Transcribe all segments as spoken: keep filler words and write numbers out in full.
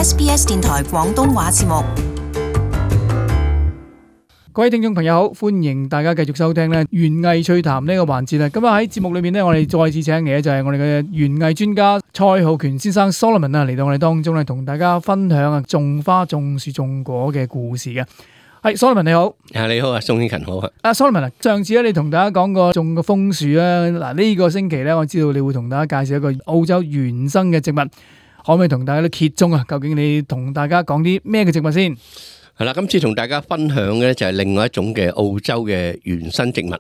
S B S 電台廣東話節目。各位聽眾朋友好，歡迎大家繼續收聽咧園藝趣談呢個環節啦。咁啊喺節目裏面咧，我哋再次請嚟就係我哋嘅園藝專家蔡浩權先生 Solomon 啊，嚟到我哋當中咧，同大家分享啊種花、種樹、種果嘅故事嘅。係 Solomon 你好，啊你好啊，宋慶勤好啊。啊 Solomon 啊，上次咧你同大家講過種個楓樹啦，嗱呢個星期咧，我知道你會同大家介紹一個澳洲原生嘅植物，可唔可以同大家都揭盅啊？究竟你同大家講啲咩嘅植物先？係啦，今次同大家分享嘅就係另外一種嘅澳洲嘅原生植物。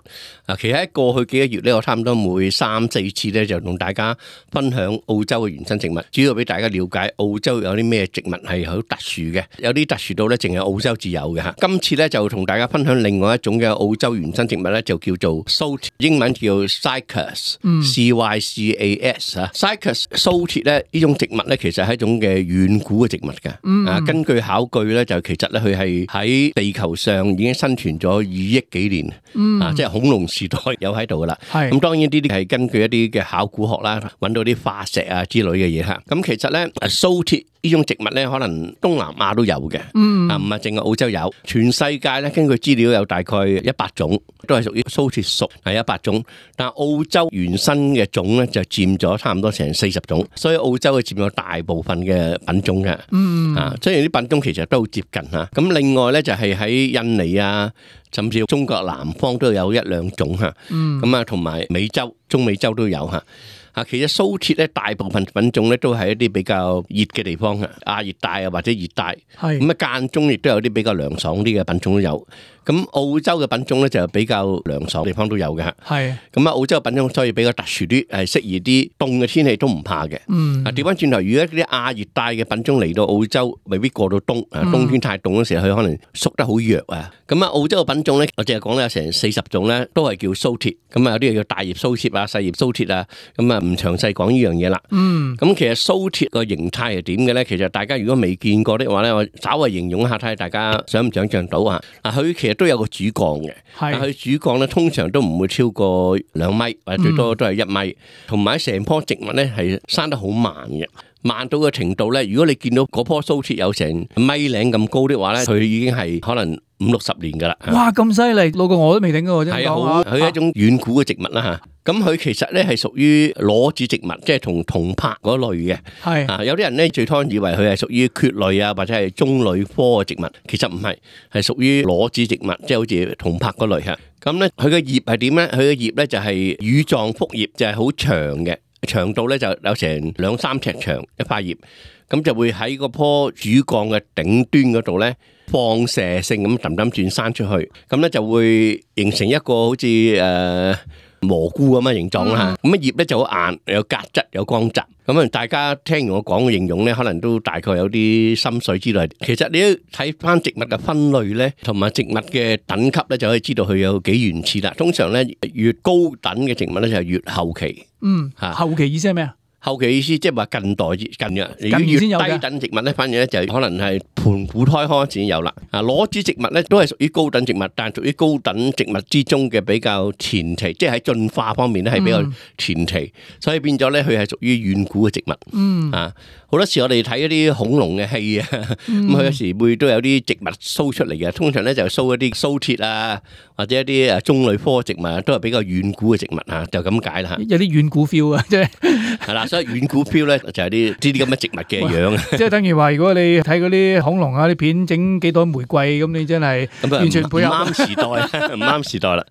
啊，其實喺過去幾個月咧，我差唔多每三四次咧就同大家分享澳洲嘅原生植物，主要俾大家了解澳洲有啲咩植物係好特殊嘅，有啲特殊到咧淨係澳洲至有嘅吓。今次咧就同大家分享另外一種嘅澳洲原生植物咧，就叫做 Saltire， 英文叫 Cycas，C Y C A S 啊。Cycas Saltire 咧呢種植物咧，其實係一種嘅遠古嘅植物嘅。啊，根據考據咧，就其實咧佢係喺地球上已經生存咗二億幾年，嗯、啊，即係恐龍時代有喺度噶啦。咁當然呢啲係根據一啲嘅考古學啦，揾到啲化石啊之類嘅嘢吓。咁其實咧 Saltire 呢種植物咧，可能東南亞都有嘅，嗯、啊唔係淨係澳洲有，全世界咧根據資料有大概一百種，都係屬於 Saltire 屬係一百種，但係澳洲原生嘅種咧就佔咗差唔多成四十種，所以澳洲係佔咗大部分嘅品種嘅，嗯、啊，雖然啲品種其實都好接近吓。咁另外咧就係喺印尼啊，甚至中國南方都有一兩種吓，咁啊同埋美洲、中美洲都有吓。啊，其實 Saltire 咧大部分品種咧都係一啲比較熱嘅地方嘅，亞熱帶啊或者熱帶，咁啊間中亦都有啲比較涼爽啲嘅品種都有。咁澳洲嘅品種咧就比較涼爽地方都有嘅嚇。係。咁啊澳洲嘅品種所以比較特殊啲，係適宜啲凍嘅天氣都唔怕嘅。嗯。啊調翻轉頭，如果啲亞熱帶嘅品種嚟到澳洲，未必過到冬。啊冬天太凍嗰時候，佢可能縮得好弱啊。咁啊澳洲嘅品種咧，我淨係講咧有成四十種咧，都係叫 Saltire。咁啊有啲叫大葉 Saltire啊、細葉 Saltire啊，咁啊唔詳細講呢樣嘢啦。嗯。咁其實 Saltire個形態係點嘅咧？其實大家如果未見過的話咧，我稍微形容一下睇下大家想唔想像到啊？啊佢其實都有個主幹嘅，但係佢主幹咧通常都唔會超過兩米，或者最多都係一米，同埋成棵植物咧係生得好慢嘅，慢到嘅程度咧，如果你見到嗰棵 Saltire有成米零咁高的話咧，佢已經係可能五六十年噶啦。哇，咁犀利，老過我都未頂過，真係講下。佢係一種遠古嘅植物啦吓。咁佢其實咧係屬於裸子植物，即係同銅柏嗰類嘅。係啊，有啲人咧最初以為佢係屬於蕨類啊，或者係棕櫚科嘅植物，其實唔係，係屬於裸子植物，即係好似銅柏嗰類吓。咁咧佢嘅葉係點咧？佢嘅葉咧就係羽狀複葉，就係好長嘅，長度咧就有成兩三尺長一塊葉，咁就會喺嗰棵主幹嘅頂端嗰度咧放射性咁氹氹轉生出去，咁咧就會形成一個好似誒。呃蘑菇咁嘅形狀啦，咁啊葉咧就好硬，有革質，有光澤。咁啊，大家聽完我講嘅形容咧，可能都大概有啲心水之類。其實你都睇翻植物嘅分類咧，同埋植物嘅等級咧，就可以知道佢有幾原始啦。通常咧，越高等嘅植物咧就係越後期。嗯，吓後期意思係咩啊？後期意思即係話近代近嘅，如果越低等植物咧，反而咧就可能係盤古胎開始先有啦。啊，裸子植物咧都係屬於高等植物，但係屬於高等植物之中嘅比較前期，即係喺進化方面咧係比較前期，嗯、所以變咗咧佢係屬於遠古嘅植物。嗯啊。好多時我哋睇一啲恐龍嘅戲啊，咁佢有時會都有啲植物 show 出嚟嘅，通常咧就 show 一啲 Saltire啊，或者一啲誒棕櫚科植物，都係比較遠古嘅植物啊，就咁解啦嚇。有啲遠古 feel 啊，即係係啦，所以遠古 feel 咧就係啲呢啲咁嘅植物嘅樣啊。即係等於話，如果你睇嗰啲恐龍啊啲片，整幾朵玫瑰咁，你真係完全配合唔啱時代，唔啱時代啦。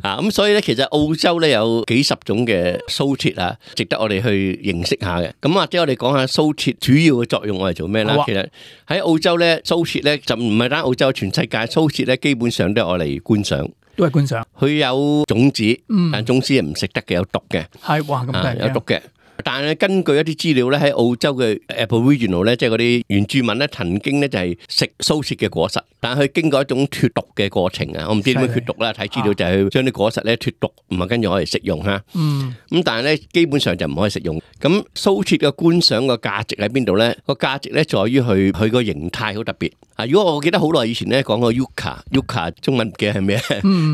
啊，咁所以咧，其實澳洲咧有幾十種嘅 Saltire啊，值得我哋去認識下嘅。咁或者我哋講下 Saltire主要嘅作用我係做咩咧？其實喺澳洲咧，Saltire咧就唔係單澳洲，全世界 Saltire咧基本上都係我嚟觀賞，都係觀賞。佢有種子，但種子係唔食得嘅，有毒嘅。係哇，咁大有毒嘅。但係根據一啲資料咧，喺澳洲嘅 Aboriginal 咧，即係嗰啲原住民咧，曾經咧就係食 Saltire嘅果實，但係佢經過一種脫毒嘅過程啊，我唔知點樣脫毒啦，睇資料就係將啲果實咧脫毒，唔係跟住可以食用吓。嗯，咁但係咧基本上就唔可以食用。咁 Saltire嘅觀賞個價值喺邊度咧？個價值咧在於佢佢個形態好特別。啊，如果我記得好耐以前咧講過 Yucca，Yucca 中文嘅係咩？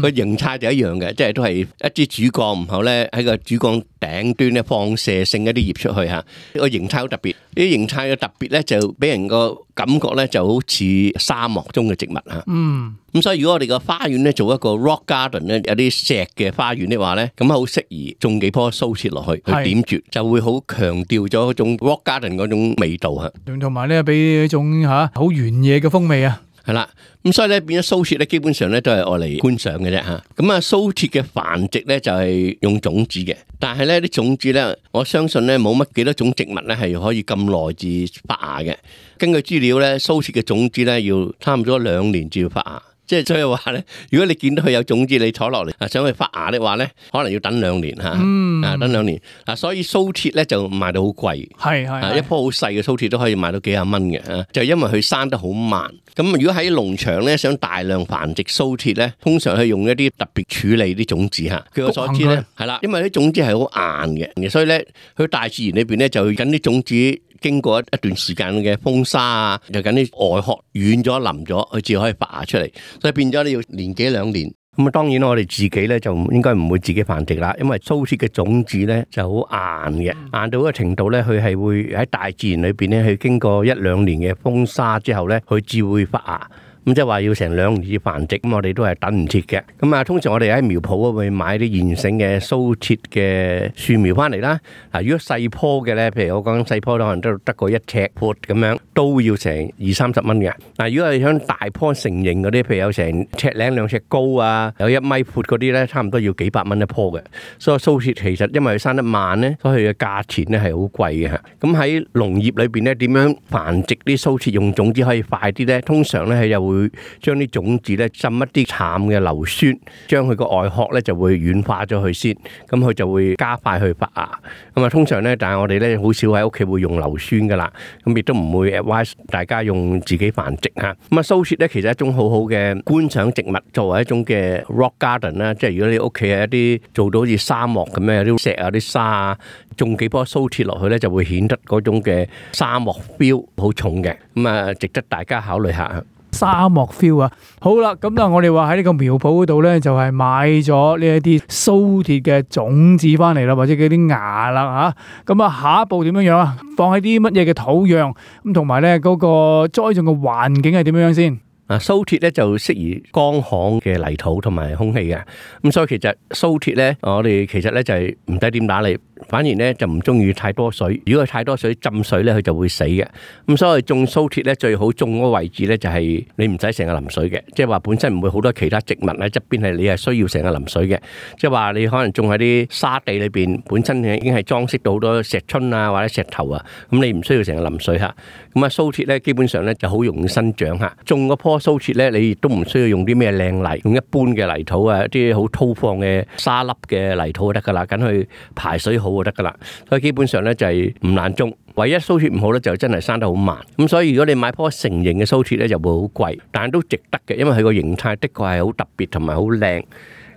個形態就一樣嘅，即係都係一支主幹，然後咧喺個主幹頂端咧放射剩一啲葉出去嚇，個形態好特別。呢啲形態嘅特別咧，就俾人個感覺咧就好似沙漠中嘅植物嚇。嗯。咁所以如果我哋個花園咧做一個 rock garden 咧，有啲石嘅花園的話咧，咁好適宜種幾棵蘇鐵落去，去點綴，就會好強調咗嗰種 rock garden 嗰種味道嚇。同埋咧，俾一種嚇好原野嘅風味啊！係啦，咁所以咧變咗蘇鐵咧，基本上咧都係愛嚟觀賞嘅啫嚇。咁啊，蘇鐵嘅繁殖咧就係用種子嘅，但係咧啲種子咧，我相信咧冇乜幾多種植物咧係可以咁耐至發芽嘅。根據資料咧，蘇鐵嘅種子咧要差唔多兩年至要發芽。即係所以話咧，如果你見到佢有種子，你採落嚟啊，想去發芽的話咧，可能要等兩年嚇，嗯、啊等兩年啊，所以蘇鐵咧就賣到好貴，係係、啊、一棵好細嘅蘇鐵都可以賣到幾廿蚊嘅嚇，就因為佢生得好慢。咁如果喺農場咧想大量繁殖蘇鐵咧，通常係用一啲特別處理啲種子嚇。據我所知咧，係啦，因為啲種子係好硬嘅，所以咧佢大自然裏邊咧就緊啲種子。經過一段時間嘅風沙啊，就緊啲外殼軟咗腍咗，佢至可以發芽出嚟，所以變咗你要年幾兩年。咁啊，當然我哋自己咧就應該唔會自己繁殖啦，因為蘇鐵嘅種子咧就好硬嘅，硬到一個程度咧，佢係會喺大自然裏邊咧，去經過一兩年嘅風沙之後咧，佢至會發芽。咁即係話要成兩年至繁殖，咁我哋都係等唔切嘅。咁啊，通常我哋喺苗圃會買啲現成嘅蘇鐵嘅樹苗翻嚟啦。嗱，如果細棵嘅咧，譬如我講細棵可能都得個一尺闊咁樣，都要成二三十蚊嘅。嗱，如果係想大棵成型嗰啲，譬如有成尺零兩尺高啊，有一米闊嗰啲咧，差唔多要幾百蚊一棵嘅。所以蘇鐵其實因為佢生得慢咧，所以佢嘅價錢咧係好貴嘅嚇。咁喺農業裏邊咧，點樣繁殖啲蘇鐵用種子可以快啲咧？通常咧佢又會將啲種子咧浸一啲淡嘅硫酸，將佢個外殼咧就會軟化咗佢先，咁佢就會加快去發芽。咁啊，通常咧，但係我哋咧好少喺屋企會用硫酸噶啦，咁亦都唔會 advise 大家用自己繁殖嚇。咁啊，蘇鐵咧其實係一種好好嘅觀賞植物，作為一種嘅 rock garden 啦，即係如果你屋企係一啲做到好似沙漠咁樣，有啲石啊、啲沙啊，種幾棵蘇鐵落去咧，就會顯得嗰種嘅沙漠 feel 好重嘅。咁啊，值得大家考慮下。沙漠 feel 啊，好啦，咁啊，我哋話喺呢個苗圃嗰度咧，就係買咗呢一啲蘇鐵嘅種子翻嚟啦，或者嗰啲芽啦吓，咁啊，下一步點樣樣啊？放喺啲乜嘢嘅土壤咁，同埋咧嗰個栽種嘅環境係點樣樣先？啊，蘇鐵咧就適宜乾旱嘅泥土同埋空氣嘅，咁所以其實蘇鐵咧，我哋其實咧就係唔使點打理，反而咧就唔中意太多水。如果佢太多水浸水咧，佢就會死嘅。咁所以種蘇鐵咧最好種嗰個位置咧就係你唔使成日淋水嘅，即係話本身唔會好多其他植物喺側邊係你係需要成日淋水嘅。即係話你可能種喺啲沙地裏邊，本身已經係裝飾到好多石春啊或者石頭啊，咁你唔需要成日淋水嚇。咁啊蘇鐵咧基本上咧就好容易生長嚇，種嗰棵蘇鐵咧，你亦都唔需要用啲咩靚泥，用一般嘅泥土啊，一啲好粗放嘅沙粒嘅泥土就得噶啦，咁去排水好就得噶啦。所以基本上咧就係唔難種，唯一蘇鐵唔好咧就真係生得好慢。咁所以如果你買棵成型嘅蘇鐵咧，就會好貴，但係都值得嘅，因為佢個形態的確係好特別同埋好靚。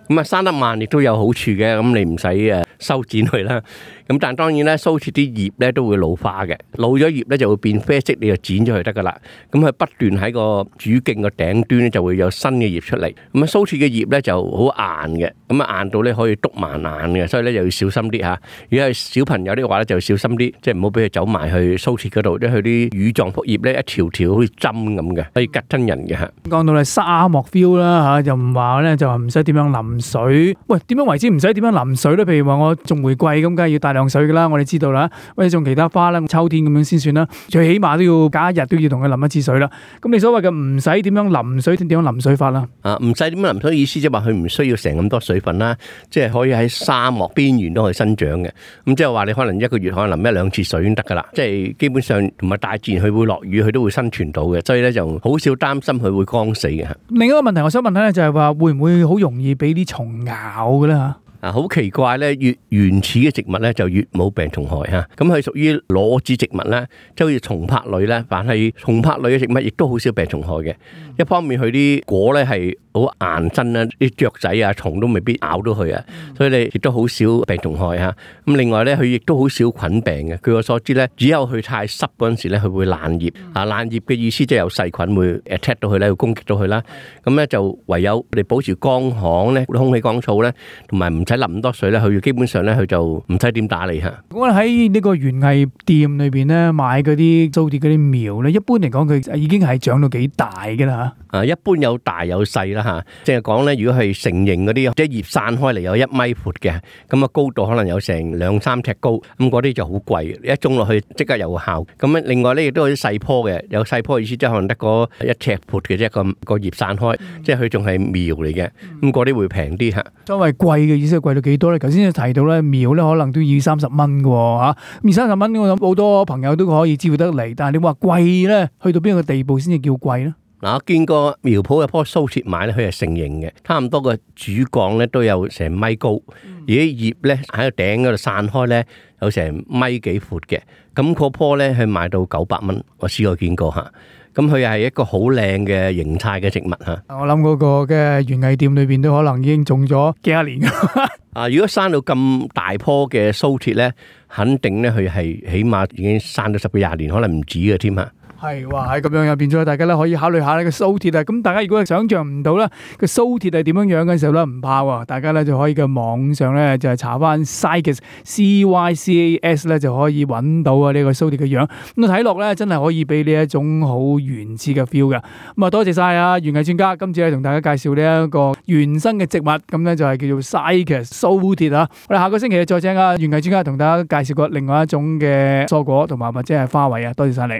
咁啊生得慢亦都有好處嘅，咁你唔使誒修剪佢啦。咁但係當然咧，蘇鐵啲葉咧都會老化嘅，老咗葉咧就會變啡色，你就剪咗佢得噶啦。咁佢不斷喺個主徑個頂端咧就會有新嘅葉出嚟。咁啊蘇鐵嘅葉咧就好硬嘅，咁啊硬到咧可以篤埋眼嘅，所以咧就要小心啲嚇。如果係小朋友啲話咧，就要小心啲，即係唔好俾佢走埋去蘇鐵嗰度，即係佢啲乳狀複葉咧一條條好似針咁嘅，可以吉親人嘅嚇。講到咧沙漠 feel 啦嚇，又唔話咧就話唔使點樣淋水。喂，點樣為之唔使點樣淋水咧？譬如話我種玫瑰咁，梗係要大量水噶啦，我哋知道啦。或者種其他花啦，秋天咁樣先算啦。最起碼都要隔一日都要同佢淋一次水啦。咁你所謂嘅唔使點樣淋水，點樣淋水法啦？啊，唔使點樣淋水意思即係話佢唔需要成咁多水分啦，即係可以喺沙漠邊緣都可以生長嘅。咁即係話你可能一個月可能淋一兩次水已經得噶啦。即係基本上同埋大自然佢會落雨，佢都會生存到嘅，所以咧就好少擔心佢會乾死嘅。另一個問題我想問下咧，就係話會唔會好容易俾啲蟲咬嘅咧嚇？啊，好奇怪咧！越原始嘅植物咧就越冇病蟲害嚇，咁佢屬於裸子植物咧，即係好似松柏類咧，凡係松柏類嘅植物亦都好少病蟲害嘅。嗯、一方面佢啲果咧係好硬身啦，啲雀仔啊蟲都未必咬到佢啊，嗯、所以你亦都好少病蟲害嚇。咁另外咧，佢亦都好少菌病嘅。據我所知咧，只有佢太濕嗰陣時咧，佢會爛葉。嗯、啊，爛葉嘅意思即係有細菌會 attack 到佢咧，會攻擊到佢啦。咁咧、嗯、就唯有你保持乾旱咧，空氣乾燥咧，同埋唔使淋咁多水咧，佢基本上咧佢就唔使點打理嚇。我喺呢個園藝店裏邊咧買嗰啲蘇鐵嗰啲苗咧，一般嚟講佢已經係長到幾大㗎啦嚇。啊，一般有大有細啦嚇，即係講咧，如果係成形嗰啲，即係葉散開嚟有一米闊嘅，咁啊高度可能有成兩三尺高，咁嗰啲就好貴，一種落去即刻有效。咁啊，另外咧亦都有啲細棵嘅，有細棵意思即係可能得個一尺闊嘅啫，個個葉散開，即係佢仲係苗嚟嘅，咁嗰啲會平啲嚇。所謂貴嘅意思係貴到幾多咧？頭先提到咧苗咧可能都要三十蚊嘅喎嚇，二三十蚊我諗好多朋友都可以支付得嚟，但係你話貴咧，去到邊個地步先至叫貴咧？嗱，我見過苗圃有棵蘇鐵買咧，佢係成形嘅，差唔多個主幹咧都有成米高，而啲葉咧喺個頂嗰度散開咧有成米幾闊嘅，咁嗰棵咧係賣到九百蚊，我試過見過嚇。咁佢係一個好靚嘅形態嘅植物嚇。我諗嗰個嘅園藝店裏邊都可能已經種咗幾廿年㗎。啊，如果生到咁大棵嘅蘇鐵咧，肯定咧佢係起碼已經生咗十幾廿年，可能唔止嘅添嚇。係話喺咁樣入變咗，大家咧可以考慮下呢個蘇鐵啊。咁大家如果係想象唔到咧個蘇鐵係點樣樣嘅時候咧，唔怕喎，大家咧就可以嘅網上咧就係查翻 Cycas C Y C A S 咧就可以揾到啊呢個蘇鐵嘅樣。咁睇落咧真係可以俾呢一種好原始嘅 feel 嘅。咁啊多謝晒啊園藝專家，今次咧同大家介紹呢一個原生嘅植物，咁咧就係叫做 Cycas 蘇鐵啊。我哋下個星期再請啊園藝專家同大家介紹過另外一種嘅蔬果同埋或者係花卉啊。多謝晒你。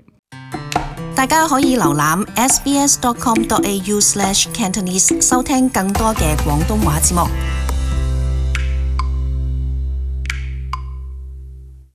大家可以瀏覽 s b s dot com dot a u slash cantonese 收聽更多嘅廣東話節目。